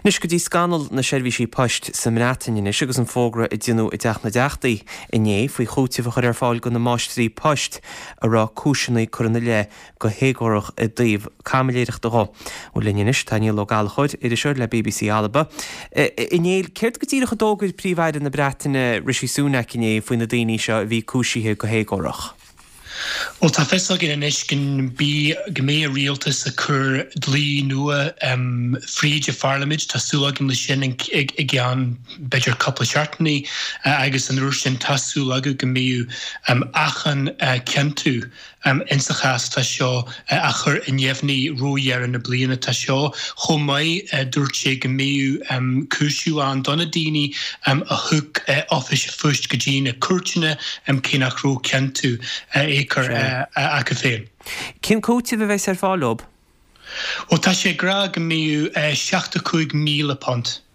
Anois go dtí scannal na seirbhísí poist sa mBreatain anois agus an fógra a deineadh i dTeach na dTeachtaí inné faoi chúiteamh a chur ar fáil do na máistrí poist a raibh cúiseanna curtha ina leith go héagórach i dtaobh caimiléireachta dhó. Bhuel linn anois tá Niall Ó Gallchóir, iriseoir le bbc Alba. A Néill, céard go díreach a d'fhógair Príomh-Aire na Breataine Rishi Sunak inné faoi na daoine seo a bhí cúisithe go héagórach? Bhuel, tá fios againn anois go go mbeidh an rialtas ag cur dlí nua fríd an pharlaimint. Tá súil againn leis sin i gceann b'fhéidir cúpla seachtainí agus an uair sin tá súil againn go mbeidh achan ciontú Insa chás atá seo á chur i neamhní roimh dheireadh na bliana atá seo. Chomh maith, dúirt sé go mbeadh cúiseamh ann do na daoine a thug oifis an phoist go dtí na cúirteanna cé nach raibh ciontú éagcóir acu féin. Cén cúiteamh a bheas ar fáil dóibh? Bhuel, tá sé ag rá go mbeadh £75,000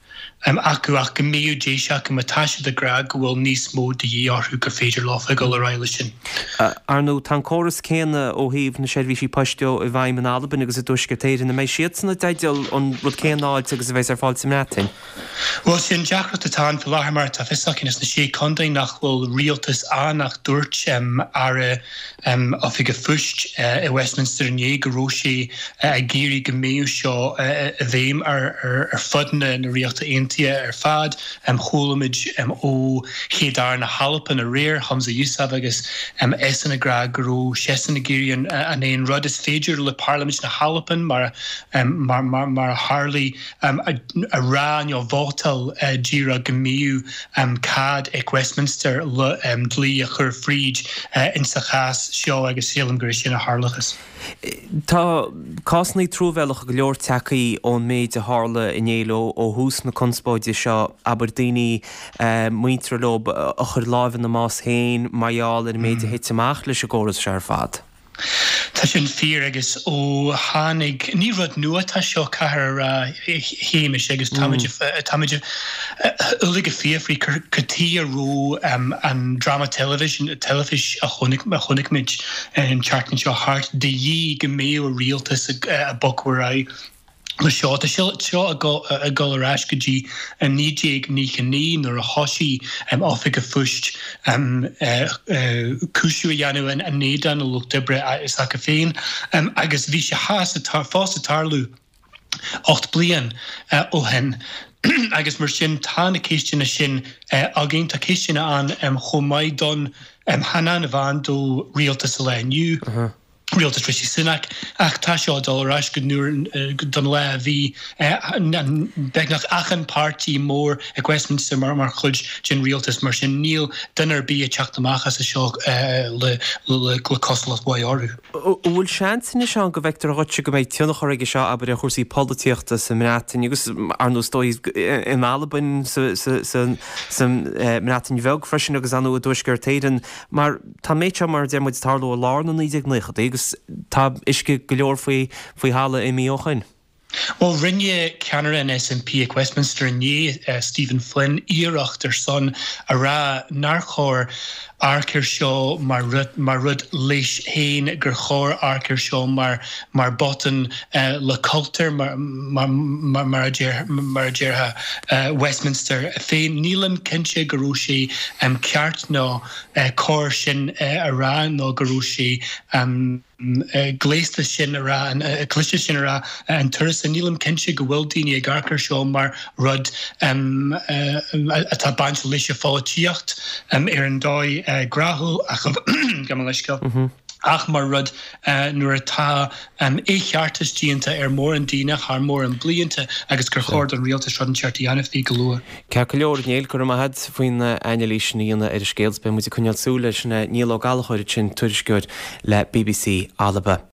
acu ach go mbeadh deis acu má tá siad ag rá go bhfuil níos mó de dhíth orthu gur féidir leofa dul ar aghaidh leis sin. Ar ndóigh, tá an córas céanna ó thaobh na seirbhísí poist de i bhfeidhm in Albain agus i dTuaisceart Éireann. An mbeidh siadsan i dteideal an rud céanna a fháilt agus a bheas ar fáil sa mBreatain? Bhuel, sé an deacracht atá ann faoi láthair mar atá fios againn sna Sé Contae nach bhfuil rialtas ann ach dúirt Aire Oifig an Phoist i Westminster inné go raibh sé ag iarraidh go mbeadh seo i bhfeidhm ar fud na Ríochta Aontaithe ar fad. Chuala muid ó Chéad-Aire na hAlban aréir, Humza Yousaf, agus eisean ag rá go raibh seisean ag iarraidh an aon rud. Is féidir le Parlaimint na hAlban, mar a tharlaigh, a rá nó vótáil díreach go mbeadh cead ag Westminster le dlí a chur fríd insa chás seo agus sílim gur é sin a tharlóchas. Tá cásanna truamhéalacha go leor tagtha ón méid a tharla a Néill ó thús na conspóide seo, abair daoine muinteartha leo a chuir láimh ina mbás féin mar gheall ar an méid a thit amach leis an gcóras seo ar fad. Tá sin fíor agus ó tháinig, ní rud nua atá seo, caithfear a rá, a Shéamais, agus táimid, táimid uilig ag fiafraí cad chuige a raibh an dráma teilifíse, teilifís a chonaic, a chonaic muid an tseachtain seo thart de dhíth go mbeadh an rialtas ag bogadh ar aghaidh. Le seo, tá seo ag dul ar ais go dtí 1999 nuair a thosaigh Oifig an Phoist cúiseamh a dhéanamh in éadan an lucht oibre s'acu féin agus bhí sé fós ag tarlú 8 bliain ó shin agus mar sin tá na ceisteanna sin againn. Tá ceisteanna ann chomh maith don chan amháin do rialtas an lae inniu. rialtas Rishi Sunak, ach tá seo ag dul ar ais go don lá a bhí beagnach achan páirtí mór ag Westminster mar chuid den rialtas, mar sin níl duine ar bith ag teacht amach as seo le cosúlacht mhaith orthu. An bhfuil seans anois ann go bhfeictear dhuitse go mbeidh tionchar aige seo, abair, ar chúrsaí polaitíochta sa mBreatain agus, ar ndóigh, is dóigh, in Albain, sa mBreatain Bheag freisin agus, ar ndóigh, i dTuaisceart Éireann, mar Tá an méid seo, mar a deir muid, ag tarlú i lár na 1990idí agus tá uisce go leor faoi thalamh imithe ó shoin. Bhuel, rinne ceannaire an SNP ag Westminster inné, Stephen Flynn, iarracht ar son a rá nár chóir amharc air seo mar mar rud leis féin, gur chóir amharc air seo mar mar botún le cultúr, mar mar a déarfadh Westminster féin. Nílim cinnte go raibh sé ceart nó cóir sin a rá nó go raibh sé gléasta sin a rá, cliste sin a rá an turas. Nílim cinnte go bhfuil daoine ag amharc air seo mar rud atá bainte leis an pholaitíocht ar an dóigh ghnáthúil ach, gabh mo leithscéal, ach mar rud nuair atá éigeartas déanta ar mórán daoine thar mórán blianta agus gur chóir don rialtas rud inteacht a dhéanamh faoi go luath. Ceart go leor, a Néill, go raibh maith agat faoin anailís sin a dhéanamh ar an scéal. Beidh muid ag coinneáil súil air sin. Niall Ó Gallchóir ansin, tuairisceoir le bbc Alba.